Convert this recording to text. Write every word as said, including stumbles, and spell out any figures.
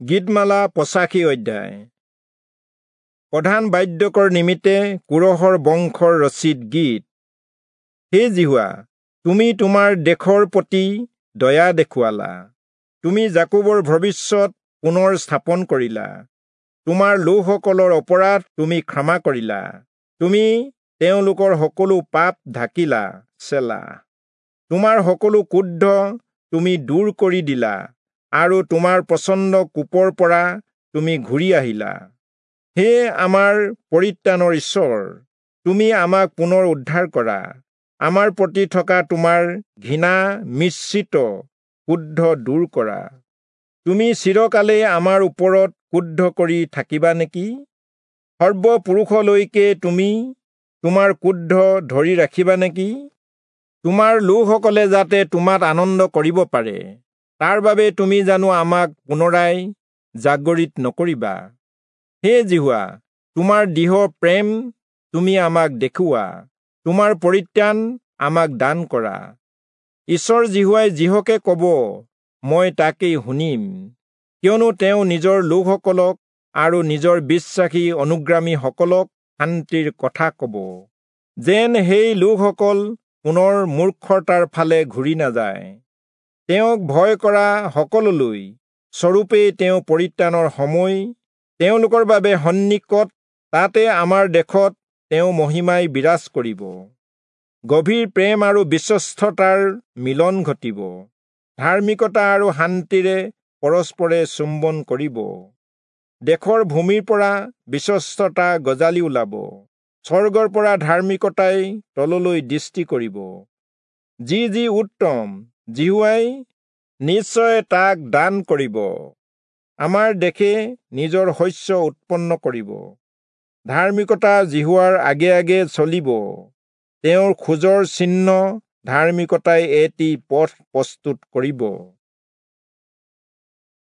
গীতমালা পঁচাশী অধ্যায়। প্ৰধান বাদ্যকৰ নিমিত্তে কোৰহৰ বংশৰ ৰচিত গীত। হে যিহোৱা, তুমি তোমাৰ দেশৰ প্ৰতি দয়া দেখুৱালা, তুমি যাকোবৰ ভৱিষ্যত পুনৰ স্থাপন কৰিলা, তোমাৰ লোকসকলৰ অপৰাধ তুমি ক্ষমা কৰিলা, তুমি তেওঁলোকৰ সকলো পাপ ঢাকিলা। চেলা। তোমাৰ সকলো ক্ৰোধ তুমি দূৰ কৰি দিলা আৰু তোমাৰ প্ৰচণ্ড কোপৰ পৰা তুমি ঘূৰি আহিলা। হে আমাৰ পৰিত্ৰাণৰ ঈশ্বৰ, তুমি আমাক পুনৰ উদ্ধাৰ কৰা, আমাৰ প্ৰতি থকা তোমাৰ ঘৃণা মিশ্ৰিত ক্ৰোধ দূৰ কৰা। তুমি চিৰকালেই আমাৰ ওপৰত ক্ৰোধ কৰি থাকিবা নেকি? সৰ্বপুৰুষলৈকে তুমি তোমাৰ ক্ৰোধ ধৰি ৰাখিবা নেকি? তোমাৰ লোকসকলে যাতে তোমাত আনন্দ কৰিব পাৰে, তাৰ বাবে তুমি জানো আমাক পুনৰাই জাগৰিত নকৰিবা? হে যিহোৱা, তোমাৰ দৃঢ় প্ৰেম তুমি আমাক দেখুওৱা, তোমাৰ পৰিত্ৰাণ আমাক দান কৰা। ঈশ্বৰ যিহোৱাই যিহকে কব, মই তাকেই শুনিম, কিয়নো তেওঁ নিজৰ লোকসকলক আৰু নিজৰ বিশ্বাসী অনুগ্ৰামীসকলক শান্তিৰ কথা কব, যেন সেই লোকসকল পুনৰ মূৰ্খতাৰ ফালে ঘূৰি নাযায়। তেওঁক ভয় কৰা সকললৈ স্বৰূপেই তেওঁ পৰিত্ৰাণৰ সময় তেওঁলোকৰ বাবে সন্নিকট, তাতে আমাৰ দেশত তেওঁ মহিমাই বিৰাজ কৰিব। গভীৰ প্ৰেম আৰু বিশ্বস্ততাৰ মিলন ঘটিব, ধাৰ্মিকতা আৰু শান্তিৰে পৰস্পৰে চুম্বন কৰিব। দেশৰ ভূমিৰ পৰা বিশ্বস্ততা গজালি ওলাব, স্বৰ্গৰ পৰা ধাৰ্মিকতাই তললৈ দৃষ্টি কৰিব। যি যি উত্তম, যিহোৱাই নিশ্চয় তাক দান কৰিব। আমাৰ দেশে নিজৰ শস্য উৎপন্ন কৰিব। ধাৰ্মিকতা যিহোৱাৰ আগে আগে চলিব, তেওঁৰ খোজৰ চিহ্ন ধাৰ্মিকতাই এটি পথ প্ৰস্তুত কৰিব।